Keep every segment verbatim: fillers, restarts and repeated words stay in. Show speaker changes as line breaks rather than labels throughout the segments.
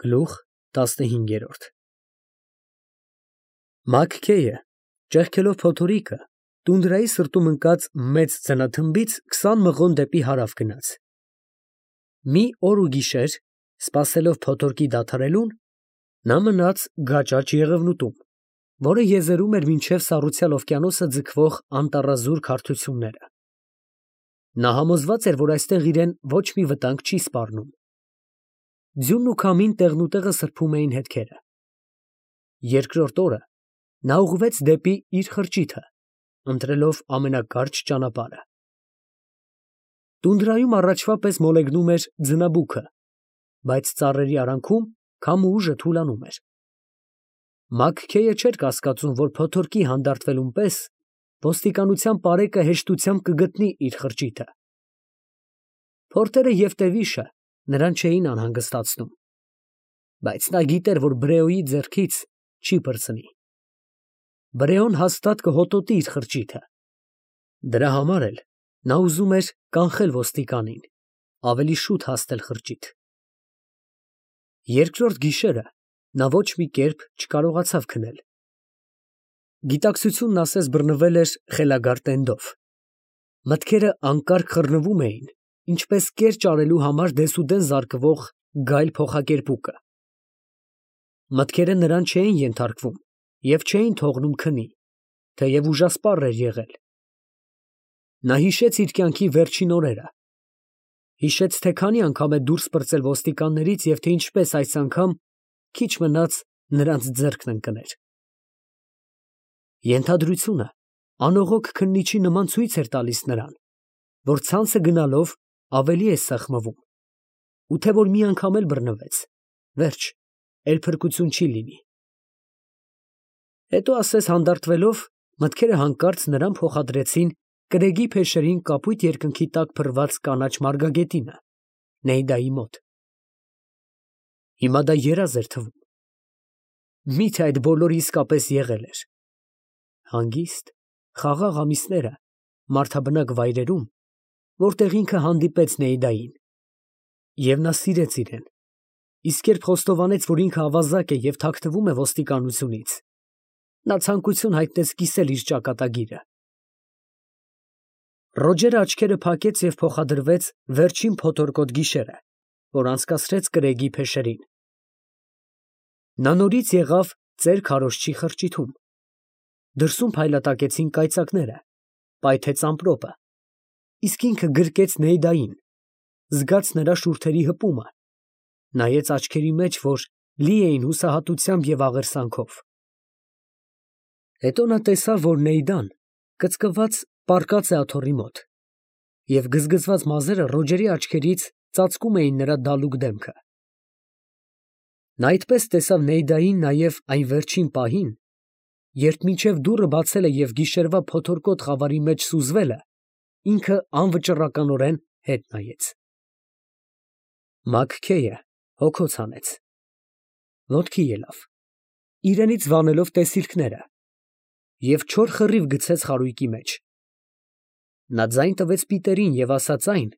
Գլուխ տասնհինգերորդ Մաքքեյը, ճեղքելով փոթորիկը, տունդրայի սրտում ընկած մեծ ձնաթմբից քսան մղոն դեպի հարավ գնաց. մի օր ու գիշեր, սպասելով փոթորկի դադարելուն, նա մնաց գաճաճ եղևնուտում, որը եզերում էր մինչև Սառուցյալ օվկիանոսը ձգվող անտառազուրկ հարթությունները. նա համոզված էր, որ այստեղ իրեն ոչ մի վտանգ չի սպառնում. ձյունն ու քամին տեղնուտեղը սրբում էին հետքերը. երկրորդ օրը նա ուղղվեց դեպի իր խրճիթը, ընտրելով ամենակարճ ճանապարհը. տունդրայում առաջվա պես մոլեգնում էր ձնաբուքը, բայց ծառերի արանքում քամու ուժը թուլանում էր. Մաքքեյը չէր կասկածում, որ փոթորկի հանդարտվելուն պես ոստիկանության պարեկը հեշտությամբ կգտնի իր խրճիթը. փորտերը և տևիշը նրան չէին անհանգստացնում, բայց նա գիտեր, որ Բրեոյի ձեռքից չի պրծնի. Բրեոն հաստատ կհոտոտի իր խրճիթը. դրա համար էլ նա ուզում էր կանխել ոստիկանին, ավելի շուտ հասնել խրճիթ. երկրորդ գիշերը նա ոչ մի կերպ չկարողացավ քնել. գիտակցությունն ասես բռնվել էր խելագար տենդով, մտքերը անկարգ խռնվում էին, ինչպես կեր ճարելու համար դեսուդեն զարկվող գայլ փոխակերպուկը. մտքերը նրան չէին ենթարկվում և չէին թողնում քնի, թեև ուժասպառ էր եղել. նա հիշեց իր կյանքի վերջին օրերը, հիշեց, թե քանի անգամ է դուրս պրծել ոստիկաններից և թե ինչպես այս անգամ քիչ մնաց նրանց ձեռքն ընկներ. ենթադրությունը անողոք քննիչի նման ցույց էր տալիս նրան, որ ցանցը գնալով ավելի է սեղմվում, ու թե որ մի անգամ էլ բռնվեց, վերջ, էլ փրկություն չի լինի. հետո ասես հանդարտվելով, մտքերը հանկարծ նրան փոխադրեցին կրեգի փեշերին կապույտ երկնքի տակ փռված կանաչ մարգագետինը, Նեյդայի մոտ. հիմա դա երազ էր թվում. միթե այդ բոլորը իսկապես եղել էր. հանգիստ, խաղաղ ամիսները մարդաբնակ վայրերում, որտեղ ինքը հանդիպեց Նեյդային, և նա սիրեց իրեն, իսկ երբ խոստովանեց, որ ինքը ավազակ է և թաքնվում է ոստիկանությունից, նա ցանկություն հայտնեց կիսել իր ճակատագիրը. Ռոջերը աչքերը փակեց և փոխադրվեց վերջին փոթորկոտ գիշերը, որ անցկացրեց կրեգի փեշերին. նա նորից եղավ ծեր քարոզչի խրճիթում, դրսում փայլատակեցին կայծակները, պայթեց ամպրոպը, իսկ ինքը գրկեց Նեյդային, զգաց նրա շուրթերի հպումը, նայեց աչքերի մեջ, որ լի էին հուսահատությամբ և աղերսանքով. հետո նա տեսավ, որ Նեյդան կծկված պառկած է աթոռի մոտ, և գզգզված մազերը Ռոջերի աչքերից ծածկում էին նրա դալուկ դեմքը. նա այդպես տեսավ Նեյդային նաև այն վերջին պահին, երբ մինչև դուռը բացել է և գիշերվա փոթորկոտ խավարի մեջ սուզվել է, ինքը անվճռականորեն հետ նայեց. Մաքքեյը հոգոց հանեց, ոտքի ելավ, իրենից վանելով տեսիլքները, և չոր խռիվ գցեց խարույկի մեջ. նա ձայն տվեց Պիտերին և ասաց այն,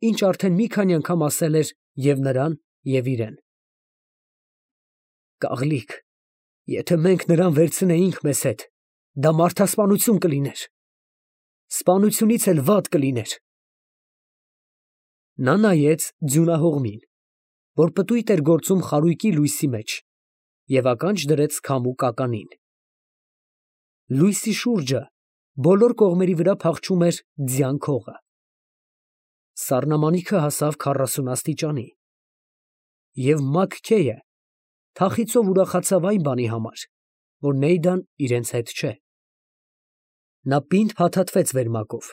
ինչ արդեն մի քանի անգամ ասել էր և նրան, և իրեն. «Կաղլիկ, եթե մենք նրան վերցնեինք մեզ հետ, դա մարդասպանություն կլիներ, սպանությունից էլ վատ կլիներ»։ Նա նայեց ձյունահողմին, որ պտույտ էր գործում խարույկի լույսի մեջ, և ականջ դրեց քամու կականին. լույսի շուրջը բոլոր կողմերի վրա փախչում էր ձյան քողը. սառնամանիքը հասավ քառասուն աստիճանի, և Մաքքեյը թախիծով ուրախացավ այն բանի համար, որ Նեյդան իրենց հետ չէ. նա պինդ փաթաթվեց վերմակով,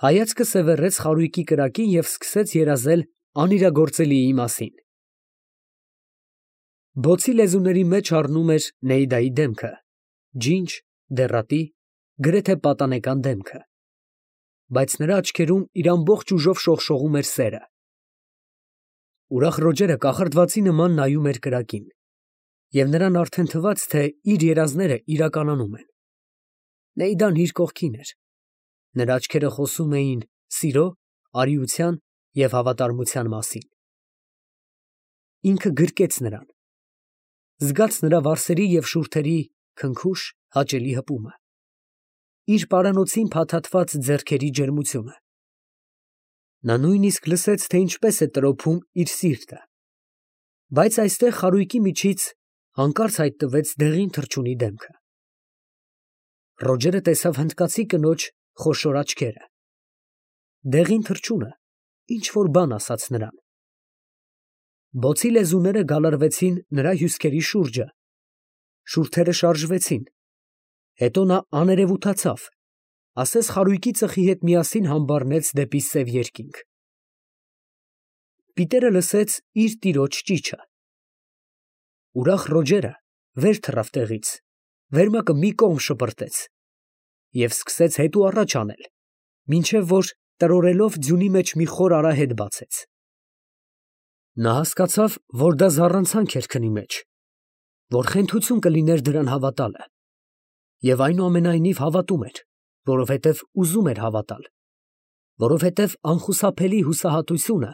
հայացքը սևեռեց խարույկի կրակին և սկսեց երազել անիրագործելիի մասին. բոցի լեզուների մեջ առնում էր Նեյդայի դեմքը, ջինջ, դեռատի, գրեթե պատանեկան դեմքը, բայց նրա աչքերում իր ամբողջ ուժով շողշողում էր սերը. ուրախ Ռոջերը կախարդվածի նման նայում էր կրակին, և նրան արդեն թվաց, թե իր երազները իրականանում են. Նեյդան իր կողքին էր, նրա աչքերը խոսում էին սիրո, արիության և հավատարմության մասին. ինքը գրկեց նրան, զգաց նրա վարսերի և շուրթերի քնքուշ, հաճելի հպումը, իր պարանոցին փաթաթված ձեռքերի ջերմությունը. նա նույնիսկ լսեց, թե ինչպես է տրոփում իր սիրտը, բայց այստեղ խարույկի միջից հանկարծ հայտնվեց դեղին թռչունի դեմքը. Ռոջերը տեսավ հնդկացի կնոջ խոշոր աչքերը, դեղին թռչունը ինչ-որ բան ասաց նրան, բոցի լեզուները գալարվեցին նրա հյուսքերի շուրջը, շուրթերը շարժվեցին, հետո նա աներևութացավ, ասես խարույկի ծխի հետ միասին համբառնեց դեպի սև երկինք. Պիտերը լսեց իր տիրոջ ճիչը, ուրախ Ռոջերը վեր թռավ տեղից, վերմակը մի կողմ շպրտեց և սկսեց հետո առաջ անել, մինչև որ տրորելով ձյունի մեջ մի խոր արահետ բացեց. նա հասկացավ, որ դա զառանցանք էր քնի մեջ, որ խենթություն կլիներ դրան հավատալը, և այնուամենայնիվ հավատում էր, որովհետև ուզում էր հավատալ, որովհետև անխուսափելի հուսահատությունը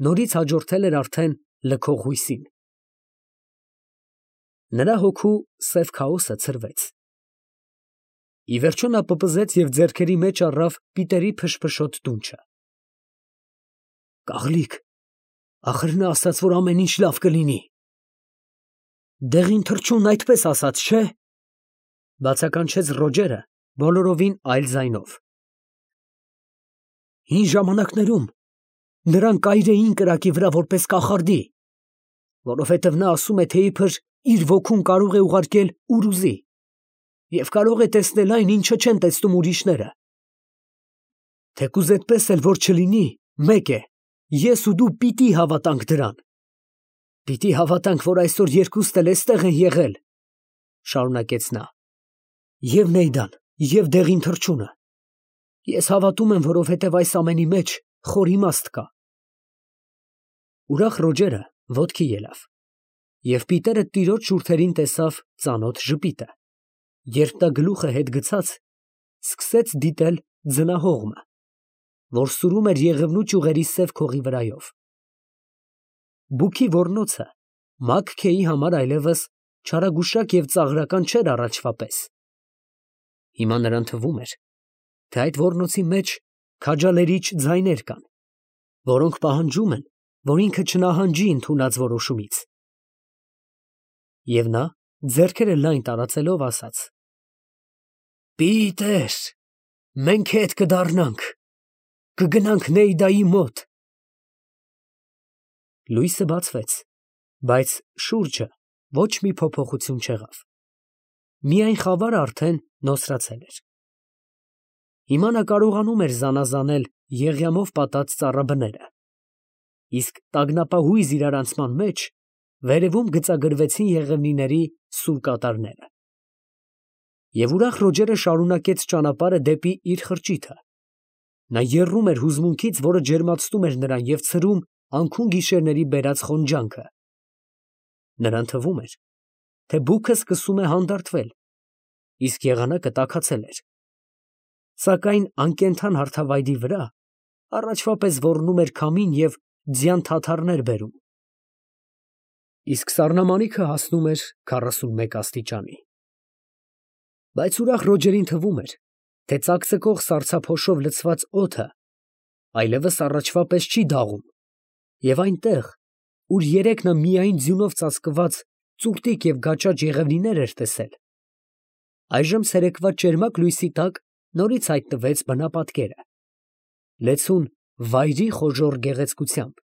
նորից հաջորդել էր արդեն լքող հույսին. նրա հոգու սև քաոսը ցրվեց, ի վերջո նա պպզեց և ձեռքերի մեջ առավ Պիտերի փշփշոտ դունչը. «Կաղլիկ, ախր նա ասաց, որ ամեն ինչ լավ կլինի»։ «Դեղին թռչունն այդպես ասաց, չէ՞», բացականչեց Ռոջերը բոլորովին այլ ձայնով։ «Հին ժամանակներում նրան կայրեին կրակի վրա որպես կախարդի, որովհետև նա ասում է, թե իբր իր ոգուն կարող է ուղարկել ուր ուզի և կարող է տեսնել այն, ինչը չեն տեսնում ուրիշները։ Թեկուզ այդպես էլ որ չլինի, մեկ է, ես ու դու պիտի հավատանք դրան, պիտի հավատանք, որ այսօր երկուստ էլ էստեղ են եղել, շարունակեց նա, և Նեյդան, և դեղին թռչունը։ Ես հավատում եմ, որովհետև այս ամենի մեջ խոր իմաստ կա»։ Ուրախ Ռոջերը ոտքի ելավ, և Պիտերը տիրոջ շուրթերին տեսավ ծանոթ ժպիտը, երբ նա գլուխը հետ գցած սկսեց դիտել ձնահողմը, որ սուրում էր Եղևնու ճյուղերի սև քողի վրայով։ Բուքի ոռնոցը Մագքեի համար այլևս չարագուշակ և ծաղրական չէր առաջվա պես. հիմա նրան թվում էր, թե այդ ոռնոցի մեջ քաջալերիչ ձայներ կան, որոնք պահանջում են, որ ինքը չնահանջի ընդունած որոշումից։ Եվ նա, ձեռքերը լայն տարածելով, ասաց. «Պիտեր, մենք հետ կդառնանք, կգնանք Նեյդայի մոտ»։ Լույսը բացվեց, բայց շուրջը ոչ մի փոփոխություն չեղավ, միայն խավարը արդեն նոսրացել էր։ Հիմա նա կարողանում էր զանազանել եղյամով պատած ծառաբները, իսկ տագնապահույզ իրարանցման մեջ վերևում գծագրվեցին եղևնիների սուր կատարները։ Եվ ուրախ Ռոջերը շարունակեց ճանապարհը դեպի իր խրճիթը։ Նա եռում էր հուզմունքից, որը ջերմացնում էր նրան և ցրում անքուն գիշերների բերած խոնջանքը։ Նրան թվում էր, թե բուքը սկսում է հանդարտվել, իսկ եղանակը տաքացել էր, սակայն անկենդան հարթավայրի վրա առաջվա պես ոռնում էր քամին և ձյան թաթարներ բերում, իսկ սառնամանիքը հասնում էր քառասունմեկ աստիճանի։ Բայց ուրախ Ռոջերին թվում էր, թե ծակծկող սառցափոշով լցված օդը այլևս առաջվա պես չի դաղում, և այնտեղ, ուր երեկ նա միայն ձյունով ծածկված ծուռտիկ և գաճաճ եղևնիներ էր տեսել, այժմ ցերեկվա ճերմակ լույսի տակ նորից հայտնվեց բնապատկերը, լեցուն վայրի խոժոռ գեղեցկությամբ։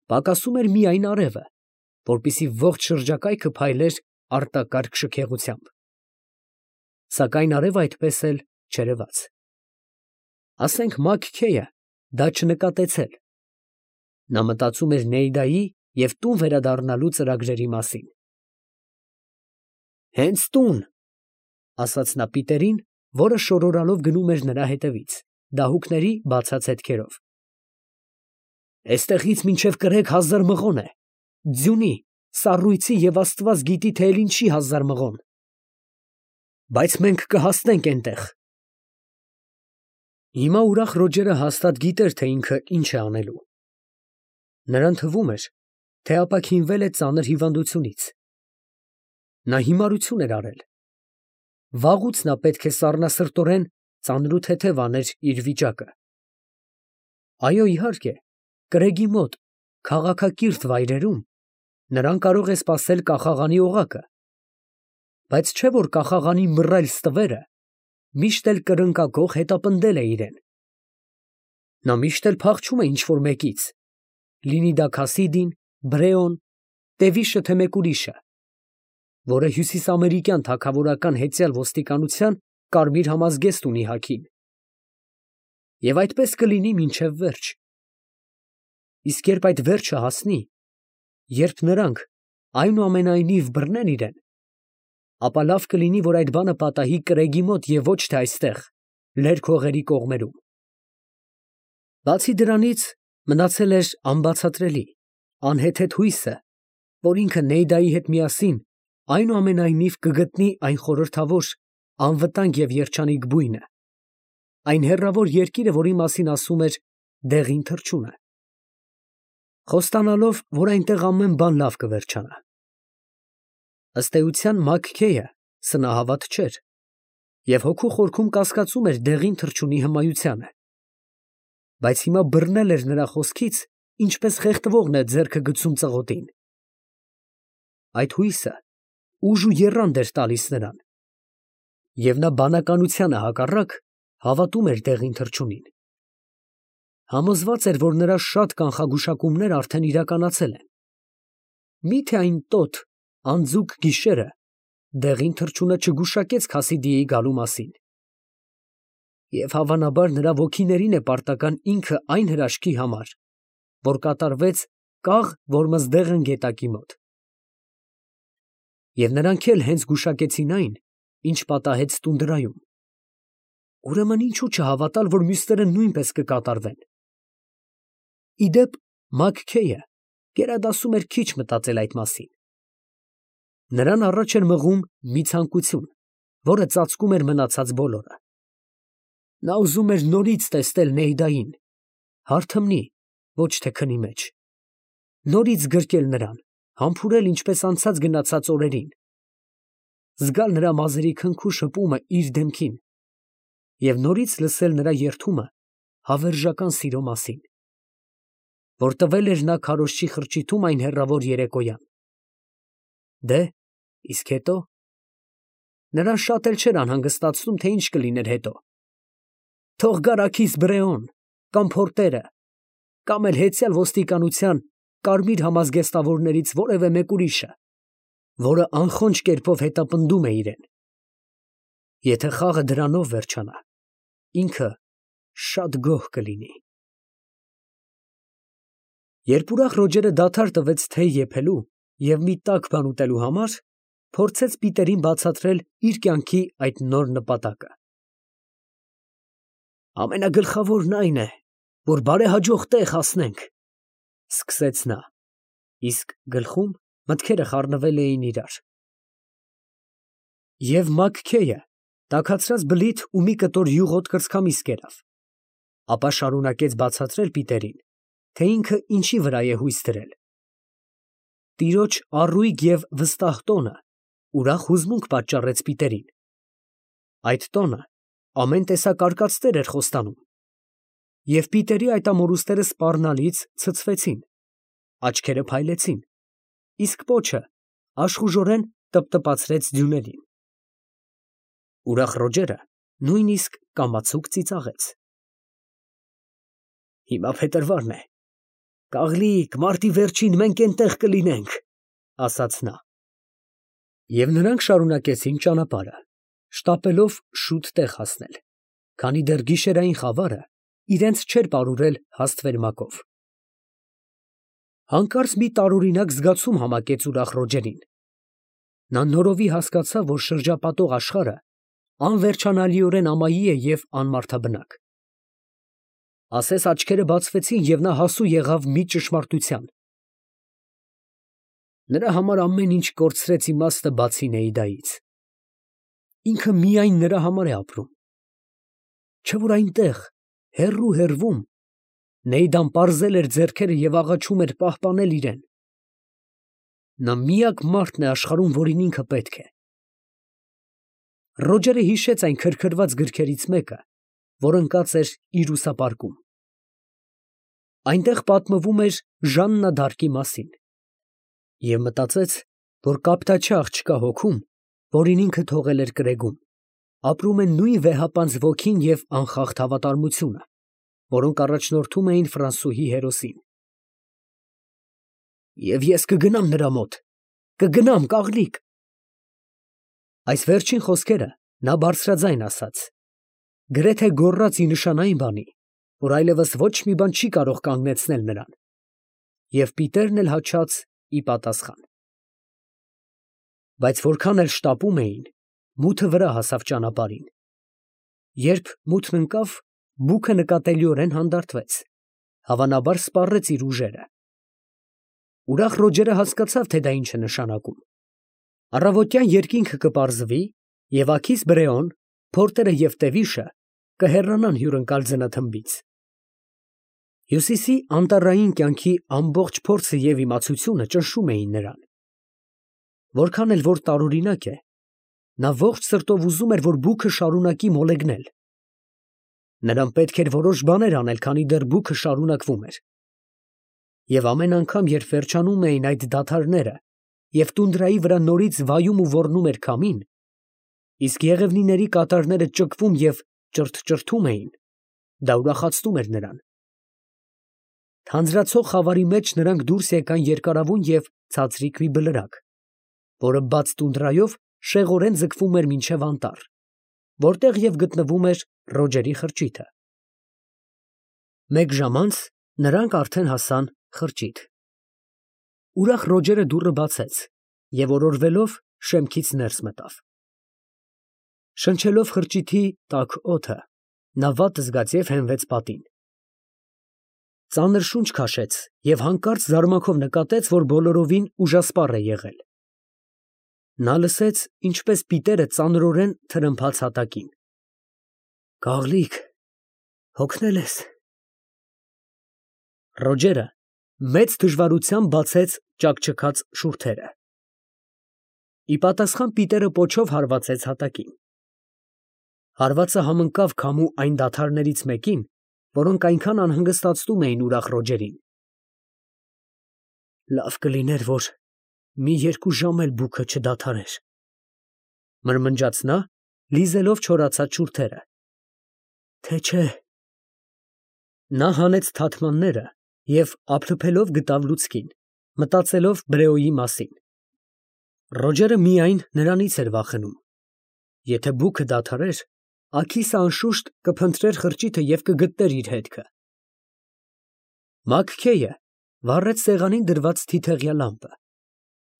Պակասում էր միայն արևը, որպեսզի ողջ շրջակայքը փայլեր արտակարգ շքեղությամբ։ Սակայն արևը այդպես էլ չերևաց։ Ասենք Մագքեյը դա չնկատեցել։ Նա մտածում էր Նեյդայի և տուն վերադառնալու ծրագրերի մասին։ «Հենց տուն», ասաց նա Պիտերին, որը շորորալով գնում էր նրա հետևից, դահուկների բացած հետքերով։ «Էստեղից մինչև կրեք հազար մղոն է, ձյունի, սառույցի և աստված գիտի, թե էլ ինչի հազար մղոն, բայց մենք կհասնենք էնտեղ»։ Հիմա ուրախ Ռոջերը հաստատ գիտեր, թե ինքը ինչ է անելու։ Նրան թվում էր, թե ապաքինվել է ծանր հիվանդությունից։ Նա հիմարություն էր արել։ Վաղուց նա պետք է սառնասրտորեն ծանրութեթև աներ իր վիճակը։ Այո, իհարկե, կրեգի մոտ, քաղաքակիրթ վայրերում նրան կարող է սպասել կախաղանի օղակը, բայց չէ որ կախաղանի մռայլ ստվերը միշտ էլ կրնկակող հետապնդել է իրեն։ Նա միշտ էլ փախչում է ինչ-որ մեկից, լինի դա Քասիդին, Բրեոն, Տևիշը թե մեկ ուրիշը, որը հյուսիսամերիկյան թագավորական հետյալ ոստիկանության կարմիր համազգեստ ունի հագին։ Եվ այդպես կլինի մինչև վերջ։ Իսկ երբ այդ վերջը հասնի, երբ նրանք այնուամենայնիվ բռնեն իրեն, ապա լավ կլինի, որ այդ բանը պատահի կրեգի մոտ և ոչ թե այստեղ, լերկ հողերի կողմերում։ Բացի դրանից, մնացել էր անբացատրելի, անհեթեթ հույսը, որ ինքը Նեյդայի հետ միասին այնուամենայնիվ կգտնի այն խորհրդավոր, անվտանգ և երջանիկ բույնը, այն հեռավոր երկիրը, որի մասին ասում էր դեղին թռչունը, խոստանալով, որ այնտեղ ամեն բան լավ կվերջանա։ Ըստ էության Մաքքեյը սնահավատ չէր և հոգու խորքում կասկածում էր դեղին թռչունի հմայությանը, բայց հիմա բռնել էր նրա խոսքից, ինչպես խեղդվողն է ձեռքը գցում ծղոտին։ Այդ հույսը ուժ ու եռանդ էր տալիս նրան, և նա բանականությանը հակառակ հավատում էր դեղին թռչունին։ Համոզված էր, որ նրա շատ կանխագուշակումներ արդեն իրականացել են։ Մի՞թե այն տոտ, անձուկ գիշերը դեղին թռչունը չգուշակեց Քասիդիի գալու մասին։ Եվ հավանաբար նրա ոգիներին է պարտական ինքը այն հրաշքի համար, որ կատարվեց կաղ Որմզդեղն գետակի մոտ։ Եվ նրանք էլ հենց գուշակեցին այն, ինչ պատահեց տունդրայում։ Ուրեմն ինչու չհավատալ, որ մյուսները նույնպես կկատարվեն։ Ի դեպ, Մաքքեյը գերադասում էր քիչ մտածել այդ մասին։ Նրան առաջ էր մղում մի ցանկություն, որը ծածկում էր մնացած բոլորը։ Նա ուզում էր նորից տեսնել Նեյդային, հարթմնի, ոչ թե քնի մեջ, նորից գրկել նրան, համբուրել ինչպես անցած գնացած օրերին, զգալ նրա մազերի քնքու շփումը իր դեմքին և նորից լսել նրա երդումը հավերժական սիրո մասին, որ տվել էր նա քարոզչի խրճիթում այն հեռավոր երեկոյան։ Դե, իսկ հետո… Նրան շատ էլ չէր անհանգստացնում, թե ինչ կլիներ հետո։ Թող գար աքիս Բրեոն, կամ Փորտերը, կամ էլ հետյալ ոստիկանության կարմիր համազգեստավորներից որևէ մեկ ուրիշը, որը անխոնջ կերպով հետապնդում է իրեն։ Եթե խաղը դրանով վերջանա, ինքը շատ գոհ կլինի։ Երբ ուրախ Ռոջերը դադար տվեց թեյ եփելու և մի տաք բան ուտելու համար, փորձեց Պիտերին բացատրել իր կյանքի այդ նոր նպատակը։ Ամենագլխավորն այն է, որ բարեհաջող տեղ հասնենք, ֊ սկսեց նա, իսկ գլխում մտքերը խառնվել էին իրար։ Եվ Մաքքեյը տաքացրած բլիթ ու մի կտոր յուղոտ կրծքամիս կերավ, ապա շարունակեց բացատրել Պիտերին, թե ինքը ինչի վրա է հույս դրել։ Տիրոջ առույգ և վստահ տոնը ուրախ հուզմունք պատճառեց Պիտերին։ Այդ տոնը ամեն տեսակ արկածներ էր խոստանում, և Պիտերի այդ ամորուստները սպառնալից ցցվեցին, աչքերը փայլեցին, իսկ պոչը աշխուժորեն տպտպացրեց ձյուներին։ Ուրախ Ռոջերը նույնիսկ կամացուկ ծիծաղեց։ Հիմա փետրվարն է, կաղլիկ, մարտի վերջին մենք էնտեղ կլինենք, ֊ ասաց նա։ Եվ նրանք շարունակեցին ճանապարհը, շտապելով շուտ տեղ հասնել, քանի դեռ գիշերային խավարը իրենց չէր պարուրել հաստ վերմակով։ Հանկարծ մի տարօրինակ զգացում համակեց ուրախ Ռոջերին։ Նա նորովի հասկացավ, որ շրջապատող աշխարհը անվերջանալիորեն ամայի է և անմարդաբնակ։ Ասես աչքերը բացվեցին, և նա հասու եղավ մի ճշմարտության. նրա համար ամեն ինչ կորցրեց իմաստը բացի Նեյդայից։ Ինքը միայն նրա համար է ապրում։ Չէ՞ որ այնտեղ, հեռու֊հեռվում, Նեյդան պարզել էր ձեռքերը և աղաչում էր պահպանել իրեն, նա միակ մարդն է աշխարհում, որին ինքը պետք է։ Ռոջերը հիշեց այն քրքրված գրքերից մեկը, որ ընկած էր իր ուսապարկում։ Այնտեղ պատմվում էր Ժաննա դ'Արկի մասին և մտածեց, որ կապտաչի աղջկա հոգում, որին ինքը թողել էր կրեգում, ապրում են նույն վեհապանծ ոգին և անխախտ հավատարմությունը, որոնք առաջնորդում էին ֆրանսուհի հերոսին։ «Եվ ես կգնամ նրա մոտ, կգնամ, կաղլիկ»։ Այս վերջին խոսքերը նա բարձրաձայն ասաց, գրեթե գոռաց ի նշան այն բանի, որ այլևս ոչ մի բան չի կարող կանգնեցնել նրան, և պիտերն էլ հաչաց ի պատասխան։ Բայց որքան էլ շտապում էին, մութը վրա հասավ ճանապարհին։ Երբ մութն ընկավ, բուքը նկատելիորեն հանդարտվեց, հավանաբար սպառեց իր ուժերը։ Ուրախ Ռոջերը հասկացավ, թե դա ինչ է նշանակում։ Առավոտյան երկինքը կպարզվի, և աքիս Բրեոն, Փորտերը և Տևիշը կհեռանան հյուրընկալ ձնաթմբից։ Հյուսիսի անտառային կյանքի ամբողջ փորձը և իմացությունը ճնշում էին նրան։ Որքան էլ որ տարօրինակ է, նա ողջ սրտով ուզում էր, որ բուքը շարունակի մոլեգնել։ Նրան պետք էր որոշ բաներ անել, քանի դեռ բուքը շարունակվում էր։ Եվ ամեն անգամ, երբ վերջանում էին այդ դադարները, և տունդրայի վրա նորից վայում ու ոռնում էր քամին, իսկ եղևնիների կատարները ճկվում և ճրթճրթում էին, դա ուրախացնում էր նրան։ Թանձրացող խավարի մեջ նրանք դուրս եկան երկարավուն և ցածրիկ մի բլրակ, որը բաց տունդրայով շեղորեն ձգվում էր մինչև անտառ, որտեղ և գտնվում էր Ռոջերի խրճիթը։ Մեկ ժամ անց նրանք արդեն հասան խրճիթ։ Ուրախ Ռոջերը դուռը բացեց և օրորվելով շեմքից ներս մտավ։ Շնչելով խրճիթի տաք օդը, նա վատ զգաց և հենվեց պատին։ Ծանր շունչ քաշեց և հանկարծ զարմանքով նկատեց, որ բոլորովին ուժասպառ է եղել։ Նա լսեց, ինչպես պիտերը ծանրորեն թրմփաց հատակին։ «Կաղլիկ, հոգնել ես»։ Ռոջերը մեծ դժվարությամբ բացեց ճաքճքած շուրթերը։ Ի պատասխան պիտերը պոչով հարվածեց հատակին։ Հարվածը համընկավ քամու այն դադարներից մեկին, որոնք այնքան անհանգստացնում էին ուրախ Ռոջերին։ «Լավ կլիներ, որ մի երկու ժամ էլ բուքը չդադարեր», ֊ մրմնջաց նա, լիզելով չորացած շուրթերը։ «Թե չէ…»։ Նա հանեց թաթմանները և ափլփելով գտավ լուցկին, մտածելով Բրեոյի մասին։ Ռոջերը միայն նրանից էր վախենում։ Եթե բուքը դադարեր, աքիսը անշուշտ կփնտրեր խրճիթը և կգտներ իր հետքը։ Մաքքեյը վառեց սեղանին դրված թիթեղյա լամպը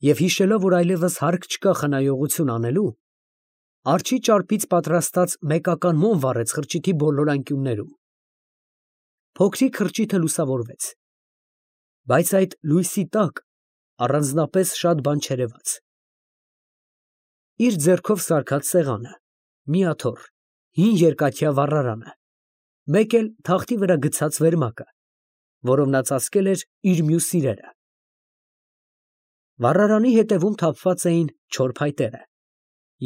և, հիշելով, որ այլևս հարկ չկա խնայողություն անելու, արջի ճարպից պատրաստած մեկական մոմ վառեց խրճիթի բոլոր անկյուններում։ Փոքրիկ խրճիթը լուսավորվեց, բայց այդ լույսի տակ առանձնապես շատ բան չերևաց։ Իր ձեռքով սարքած սեղանը, մի աթոռ, հին երկաթյա վառարանը, մեկ էլ թախտի վրա գցած վերմակը, որով նա ծածկել էր իր մյուս սիրերը։ Վառարանի ետևում թափված էին չոր փայտերը,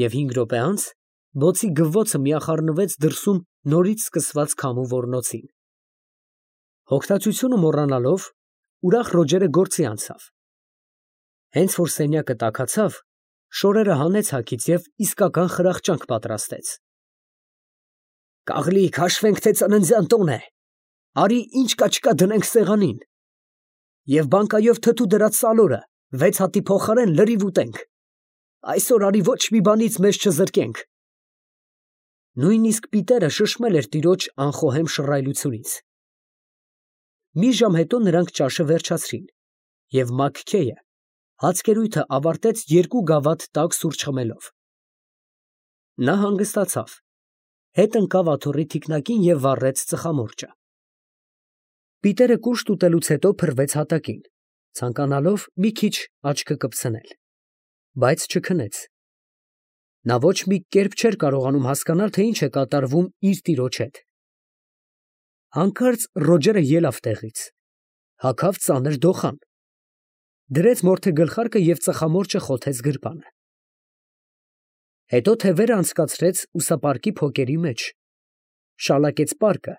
և հինգ րոպե անց բոցի գվվոցը միախառնվեց դրսում նորից սկսված քամու ոռնոցին։ Հոգնածությունը մոռանալով, ուրախ Ռոջերը գործի անցավ։ Հենց որ սենյակը տաքացավ, շորերը հանեց հագից և իսկական խրախճանք պատրաստեց։ «Կաղլիկ, հաշվենք, թե ծննդյան տոն է, արի ինչ կա չկա դնենք սեղանին, և բանկայով թթու դրած սալորը վեց հատի փոխարեն լրիվ ուտենք, այսօր արի ոչ մի բանից մեզ չզրկենք»։ Նույնիսկ պիտերը շշմել էր տիրոջ անխոհեմ շռայլությունից։ Մի ժամ հետո նրանք ճաշը վերջացրին, և Մաքքեյը հացկերույթը ավարտեց երկու գավաթ տաք սուրճ խմելով։ Նա հանգստացավ, հետ ընկավ աթոռի թիկնակին և վառեց ծխամորճը։ Պիտերը կուշտ ուտելուց հետո փռվեց հատակին, ցանկանալով մի քիչ աչքը կպցնել, բայց չքնեց։ Նա ոչ մի կերպ չէր կարողանում հասկանալ, թե ինչ է կատարվում իր տիրոջ հետ։ Հանկարծ Ռոջերը ելավ տեղից, հագավ ծանր դոխան։ դրեց մորթե գլխարկը և ծխամորճը խոթեց գրպանը։ Հետո թևերը անցկացրեց ուսապարկի փոկերի մեջ, շալակեց պարկը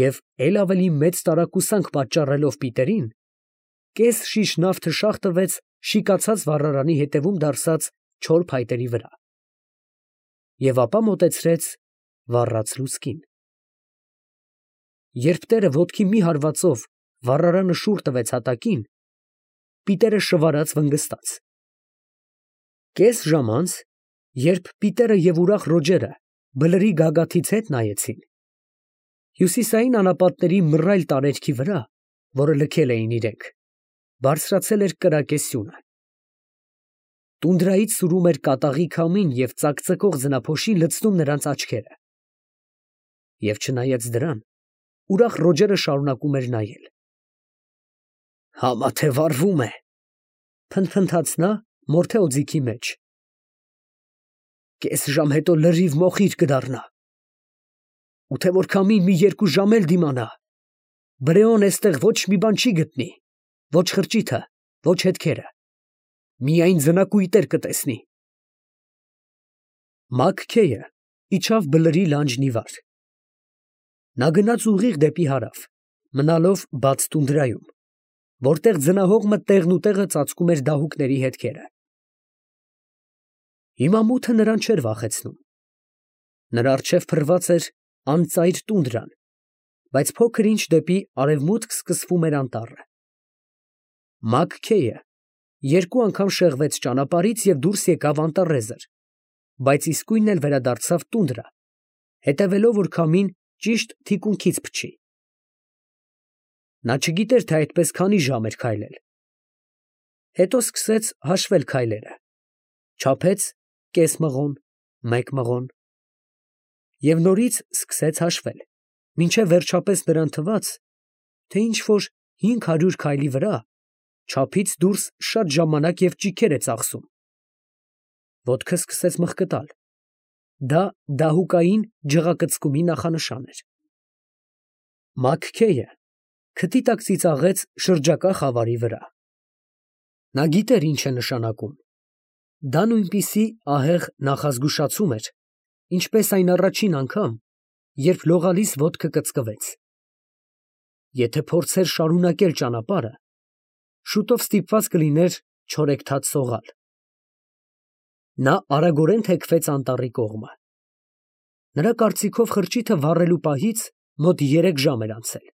և էլ ավելի մեծ տարակուսանք պատճառելով Պիտերին, կես շիշ նավ թշախ տվեց շիկացած վառարանի ետևում դարսած չոր փայտերի վրա և ապա մոտեցրեց վառած լուցկին։ Երբ տերը ոտքի մի հարվածով վառարանը շուռ տվեց հատակին, Պիտերը շվարած վնգստաց։ Կես ժամ անց, երբ Պիտերը և ուրախ Ռոջերը բլրի գագաթից հետ նայեցին, հյուսիսային անապատների մռայլ տարերքի վրա, որը լքել էին իրենք, բարձրացել էր կրակե սյունը։ Տունդրայից սուրում էր կատաղի քամին և ծակծկող ձնափոշի լցնում նրանց աչքերը։ Եվ չնայած դրան, ուրախ Ռոջերը շարունակում էր նայել։ «Համա թե վառվում է», փնթփնթաց նա մորթե օձիքի մեջ։ «Կես ժամ հետո լրիվ մոխիր կդառնա։ Ու թե որ քամին մի երկու ժամ էլ դիմանա, Բրեոն էստեղ ոչ մի բան չի գտնի, ոչ խրճիթը, ոչ հետքերը, միայն ձնակույտեր կտեսնի»։ Մագքեյը իջավ բլրի լանջն ի վար։ Նա գնաց ուղիղ դեպի հարավ, մնալով բաց տունդրայում, որտեղ ձնահողմը տեղնուտեղը ծածկում էր դահուկների հետքերը։ Հիմա մութը նրան չէր վախեցնում։ Նրա առջև փռված էր անծայր տունդրան, բայց փոքր ինչ դեպի արևմուտք սկսվում էր անտառը։ Մագքեյը երկու անգամ շեղվեց ճանապարհից և դուրս եկավ անտառեզր, բայց իսկույն էլ վերադարձավ տունդրա, հետևելով, որ քամին ճիշտ թիկունքից փչի։ Նա չգիտեր, թե այդպես քանի ժամ էր քայլել։ Հետո սկսեց հաշվել քայլերը, չափեց կես մղոն, մեկ մղոն և նորից սկսեց հաշվել, մինչև վերջապես նրան թվաց, թե ինչ֊որ հինգ հարյուր քայլի վրա չափից դուրս շատ ժամանակ և ճիգեր է ծախսում։ Ոտքը սկսեց մղկտալ։ Դա դահուկային ջղակծկումի նախանշան էր։ Մագքեյը քթի տակ ծիծաղեց շրջակա խավարի վրա։ Նա գիտեր ինչ է նշանակում։ Դա նույնպիսի ահեղ նախազգուշացում էր, ինչպես այն առաջին անգամ, երբ լողալիս ոտքը կծկվեց։ Եթե փորձեր շարունակել ճանապարհը, շուտով ստիպված կլիներ չորեքթաթ սողալ։ Նա արագորեն թեքվեց անտառի կողմը։ Նրա կարծիքով խրճիթը վառելու պահից մոտ երեք ժամ էր անցել։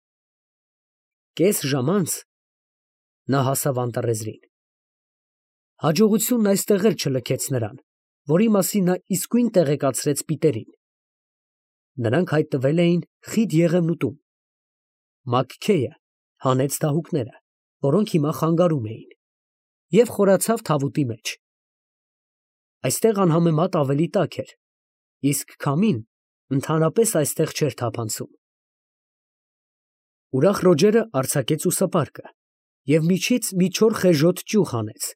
Կես ժամ անց նա հասավ անտառեզրին։ Հաջողությունն այստեղ էլ չլքեց նրան, որի մասին նա իսկույն տեղեկացրեց Պիտերին։ Նրանք հայտնվել էին խիտ Եղևնուտում։ Մագքեյը հանեց դահուկները, որոնք հիմա խանգարում էին, և խորացավ թավուտի մեջ։ Այստեղ անհամեմատ ավելի տաք էր, իսկ քամին ընդհանրապես այստեղ չէր թափանցում։ Ուրախ Ռոջերը արձակեց ուսապարկը և միջից մի չոր խեժոտ ճյուղ հանեց,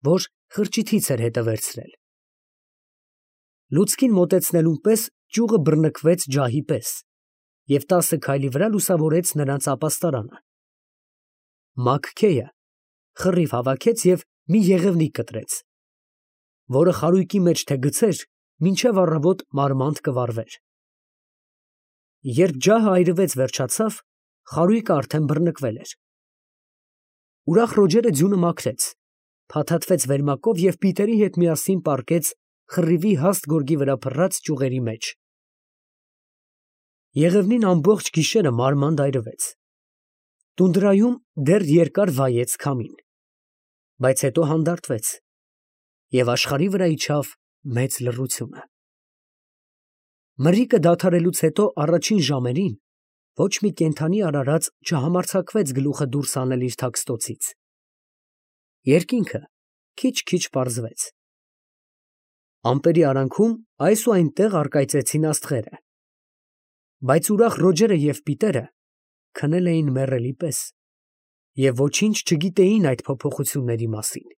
որ խրճիթից էր հետը վերցրել։ Լուցկին մոտեցնելուն պես ճյուղը բռնկվեց ջահի պես և տասը քայլի վրա լուսավորեց նրանց ապաստարանը։ Մագքեյը խռիվ հավաքեց և մի եղևնիկ կտրեց, որը խարույկի մեջ թե գցեր, մինչև առավոտ մարմանդ կվառվեր։ Երբ ջահը այրվեց վերջացավ, խարույկը արդեն բռնկվել էր։ Ուրախ Ռոջերը ձյունը մաքրեց, փաթաթվեց վերմակով և Պիտերի հետ միասին պառկեց խռիվի հաստ գորգի վրա փռած ճյուղերի մեջ։ Եղևնին ամբողջ գիշերը մարմանդ այրվեց։ Տունդրայում դեռ երկար վայեց քամին, բայց հետո հանդարտվեց, և աշխարհի վրա իջավ մեծ լռությունը։ Մրրիկը դադարելուց հետո առաջին ժամերին ոչ մի կենդանի արարած չհամարձակվեց գլուխը դուրս հանել իր թաքստոցից։ Երկինքը քիչ֊քիչ պարզվեց։ Ամպերի արանքում այս ու այնտեղ առկայծեցին աստղերը, բայց ուրախ Ռոջերը և Պիտերը քնել էին մեռելի պես և ոչինչ չգիտեին այդ փոփոխությունների մասին։